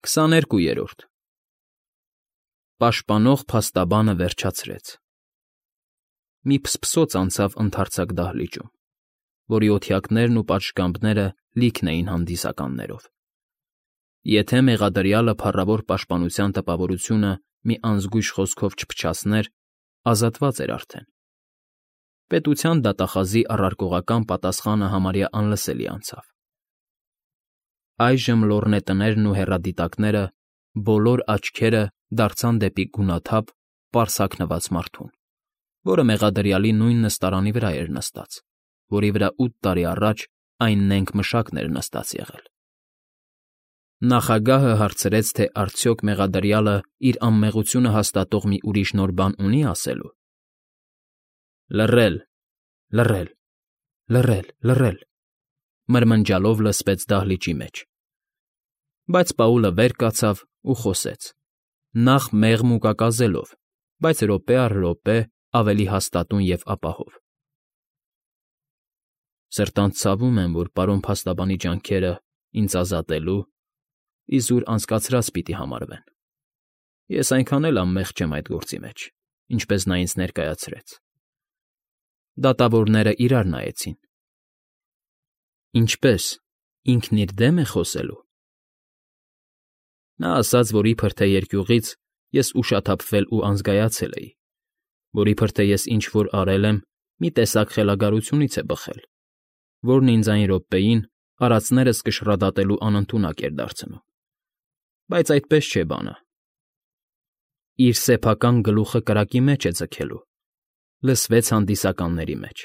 22-րդ Պաշտպանող փաստաբանը վերջացրեց։ Մի փսփսոց անցավ ընդարձակ դահլիճում, որի օթյակներն ու պատշգամբները լիքն էին հանդիսականներով։ Եթե մեղադրյալը փառավոր պաշտպանության տպավորությունը մի անզգույշ խոսքով չփչացներ, ազատված էր արդեն։ Պետության դատախազի առարկողական պատասխանը համարյա անլսելի անցավ։ Այժմ լոռնետներն ու հեռադիտակները բոլոր աչքերը դարձան դեպի գունաթափ, պարզ հագնված մարդուն, որը մեղադրյալի նույն նստարանի վրա էր նստած, որի վրա 8 տարի առաջ այն նենգ մշակն էր նստած եղել։ Նախագահը հարցրեց, թե արդյոք մեղադրյալը իր անմեղությունը հաստատող մի ուրիշ նոր բան ունի ասելու։ Լռել, լռել, լռել, լռել, մրմնջալով լսվեց դահլիճի մեջ։ Բայց Պաուլը վեր կացավ ու խոսեց, նախ մեղմ ու կակազելով, բայց րոպե առ րոպե ավելի հաստատուն և ապահով։ Սրտանց ցավում եմ, որ պարոն փաստաբանի ջանքերը ինձ ազատելու իզուր անցկացրած պիտի համարվեն։ Ես այնքան էլ անմեղ չեմ այդ գործի մեջ, ինչպես նա ինձ ներկայացրեց։ Դատավորները իրար նայեցին։ Ինչպե՞ս, ինքն իր դեմ է խոսելու։ Նա ասաց, որ իբր թե երկյուղից ես ուշաթափվել ու անզգայացել էի, որ իբր թե ես ինչ֊որ արել եմ, մի տեսակ խելագարությունից է բխել, որն ինձ այն րոպեին արածներս կշռադատելու անընդունակ էր դարձնում։ Բայց այդպես չէ բանը։ Իր սեփական գլուխը կրակի մեջ է ձգելու, լսվեց հանդիսականների մեջ։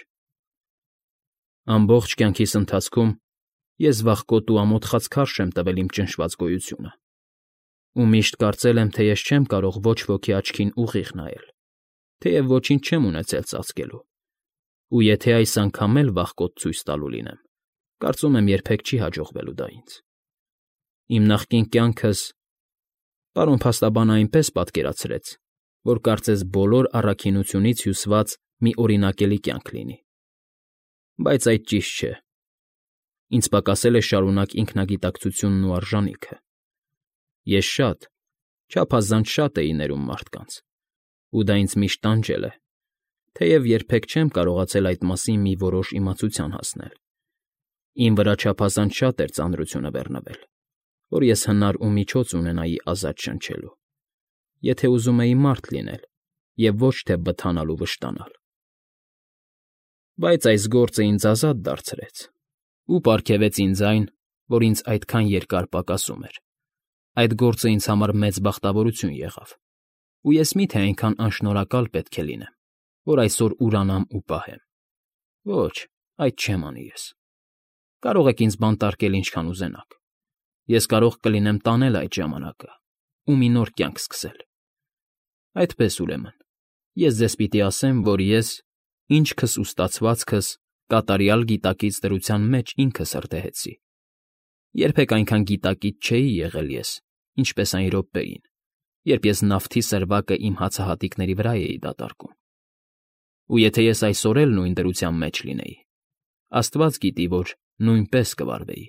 Ամբողջ կյանքիս ընթացքում ես վախկոտ ու ամոթխած քարշ եմ տվել իմ ճնշված գոյությունը, ու միշտ կարծել եմ, թե ես չեմ կարող ոչ ոքի աչքին ուղիղ նայել, թեև ոչինչ չեմ ունեցել ծածկելու, ու եթե այս անգամ էլ վախկոտ ցույց տալու լինեմ, կարծում եմ երբեք չի հաջողվելու դա ինձ։ Իմ նախկին կյանքս պարոն փաստաբանը այնպես պատկերացրեց, որ կարծես բոլոր առաքինությունից հյուսված մի օրինակելի կյանք լինի։ Բայց այդ ճիշտ չէ։ Ինձ պակասել է շարունակ ինքնագիտակցությունն ու արժանիքը։ Ես շատ, չափազանց շատ էի ներում մարդկանց, ու դա ինձ միշտ տանջել է, թեև երբեք չեմ կարողացել այդ մասին մի որոշ իմացության հասնել։ Իմ վրա չափազանց շատ էր ծանրությունը բեռնվել, որ ես հնար ու միջոց ունենայի ազատ շնչելու, եթե ուզում էի մարդ լինել և ոչ թե բթանալ ու վշտանալ։ Բայց այս գործը ինձ ազատ դարձրեց ու պարգևեց ինձ այն, որ ինձ այդքան երկար պակասում էր։ Այդ գործը ինձ համար մեծ բախտավորություն եղավ, ու ես մի՞թե այնքան անշնորհակալ պետք է լինեմ, որ այսօր ուրանամ ու պահեմ։ Ոչ, այդ չեմ անի ես։ Կարող եք ինձ բանտարկել ինչքան ուզենաք։ Ես կարող կլինեմ տանել այդ ժամանակը ու մի նոր կյանք սկսել։ Այդպես ուրեմն, ես ձեզ պիտի ասեմ, որ ես, ինչքս ու ստացվածքս կատարյալ գիտակից դրության մեջ ինքս հրդեհեցի։ Երբեք այնքան գիտակից չէի եղել ես, ինչպես այն րոպեին, երբ ես նավթի սրվակը իմ հացահատիկների վրա էի դատարկում։ Ու եթե ես այսօր էլ նույն դրության մեջ լինեի, Աստված գիտի, որ նույնպես կվարվեի։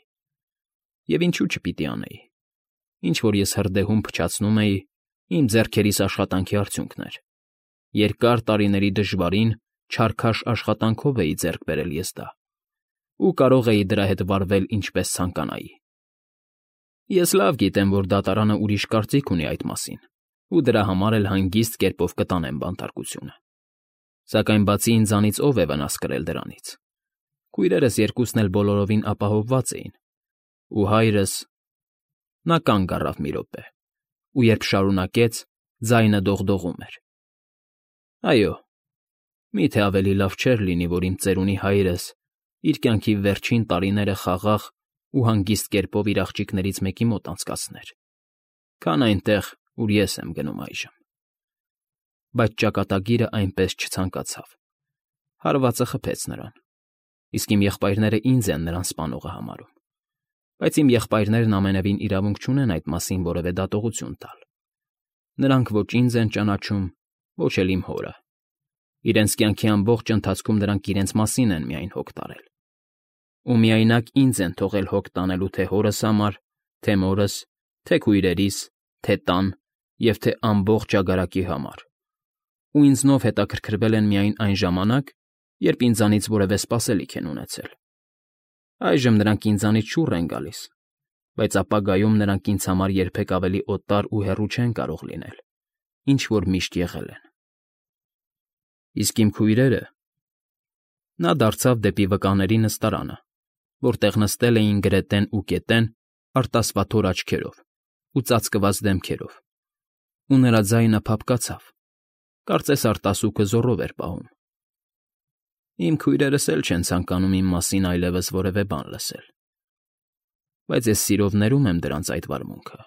Եվ ինչու չպիտի անեի։ Ինչ որ ես հրդեհում փչացնում էի, իմ ձեռքերիս աշխատանքի արդյունքն էր։ Երկար տարիների դժվարին, չարքաշ աշխատանքով էի ձեռք բերել ես դա, ու կարող էի դրա հետ վարվել ինչպես ցանկանայի։ Ես լավ գիտեմ, որ դատարանը ուրիշ կարծիք ունի այդ մասին, ու դրա համար էլ հանգիստ կերպով կտանեմ բանտարկությունը։ Սակայն բացի ինձանից ով է վնաս կրել դրանից։ Քույրերս երկուսն էլ բոլորովին ապահովված էին, ու հայրս… Նա կանգ առավ մի րոպե, ու երբ շարունակեց, ձայնը դողդողում էր։ Այո, մի՞թե ավելի լավ չէր լինի, որ իմ ծերունի հայրս իր կյանքի վերջին տարիները խաղաղ ու հանգիստ կերպով իր աղջիկներից մեկի մոտ անցկացներ, քան այնտեղ, ուր ես եմ գնում այժմ։ Բայց ճակատագիրը այնպես չցանկացավ։ Հարվածը խփեց նրան, իսկ իմ եղբայրները ինձ են նրան սպանողը համարում։ Բայց իմ եղբայրներն ամենևին իրավունք չունեն այդ մասին որևէ դատողություն տալ։ Նրանք ոչ ինձ են ճանաչում, ոչ էլ իմ հորը։ Իրենց կյանքի ամբողջ ընթացքում նրանք իրենց մասին են միայն հոգ տարել։ Ու միայնակ ինձ են թողել հոգ տանելու թե հորս համար, թե մորս, թե քույրերիս, թե տան և թե ամբողջ ճագարակի համար, ու ինձնով հետաքրքրվել են միայն այն ժամանակ, երբ ինձանից որևէ սպասելիք են ունեցել։ Այժմ նրանք ինձանից շուռ են գալիս, բայց ապագայում նրանք ինձ համար երբեք ավելի օտար ու հեռու չեն կարող լինել, ինչ որ միշտ եղել են։ Իսկ իմ քույրերը… Նա դարձավ դեպի վկաների նստարանը, որտեղ նստել էին Գրետեն ու Կետեն արտասվաթոր աչքերով ու ծածկված դեմքերով, ու նրա ձայնը փափկացավ, կարծես արտասուքը զոռով էր պահում։ Իմ քույրերս էլ չեն ցանկանում իմ մասին այլևս որևէ բան լսել, բայց ես սիրով ներում եմ դրանց այդ վարմունքը։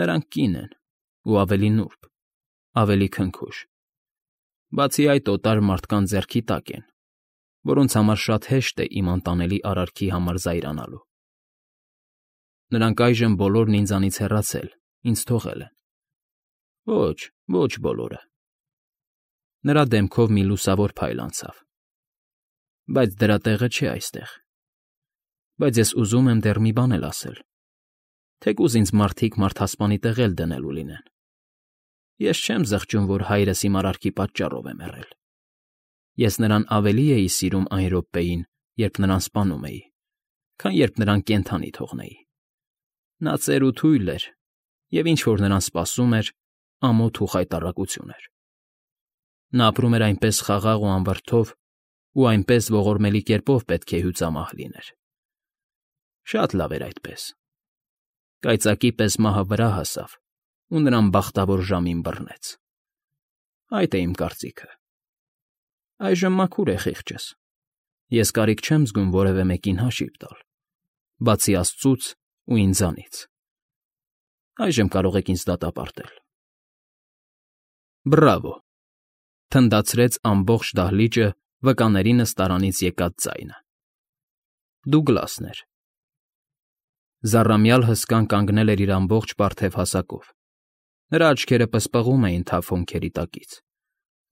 Նրանք կին են ու ավելի նուրբ, ավելի քնքուշ։ Բացի այդ, օտար մարդկանց ձեռքի տակ են, որոնց համար շատ հեշտ է իմ անտանելի արարքի համար զայրանալու։ Նրանք այժմ բոլորն ինձանից հեռացել, ինձ թողել են։ Ոչ բոլորը։ Նրա դեմքով մի լուսավոր փայլ անցավ։ Բայց դրա տեղը չէ այստեղ։ Բայց ես ուզում եմ դեռ մի բան էլ ասել, թեկուզ ինձ մարդիկ մարդասպանի տեղ էլ դնելու լինեն։ Ես չեմ զղջում, որ հայրս իմ արարքի պատճառով է մեռել։ Ես նրան ավելի էի սիրում այն րոպեին, երբ նրան սպանում էի, քան երբ նրան կենդանի թողնեի։ Նա ծեր ու թույլ էր, և ինչ որ նրան սպասում էր, ամոթ ու խայտառակություն էր։ Նա ապրում էր այնպես խաղաղ ու անվրդով, ու այնպես ողորմելի կերպով պետք է հյուծամահ լիներ։ Շատ լավ էր այդպես։ Կայծակի պես մահը վրա հասավ ու նրան բախտավոր ժամին բռնեց։ Այդ է իմ կարծիքը։ Այժմ մաքուր է խիղճս։ Ես կարիք չեմ զգում որևէ մեկին հաշիվ տալ, բացի Աստծուց ու ինձանից։ Այժմ կարող եք ինձ դատապարտել։ Բրավո…֊ թնդացրեց ամբողջ դահլիճը վկաների նստարանից եկած ձայնը։ Դուգլասն էր։ Զառամյալ հսկան կանգնել էր իր ամբողջ պարթև հասակով, նրա աչքերը պսպղում էին թավ հոնքերի տակից,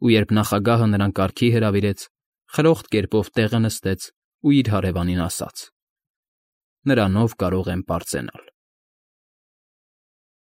ու երբ նախագահը նրան կարգի հրավիրեց, խրոխտ կերպով տեղը նստեց ու իր հարևանին ասաց. «Նրանով կարող եմ պարծենալ»։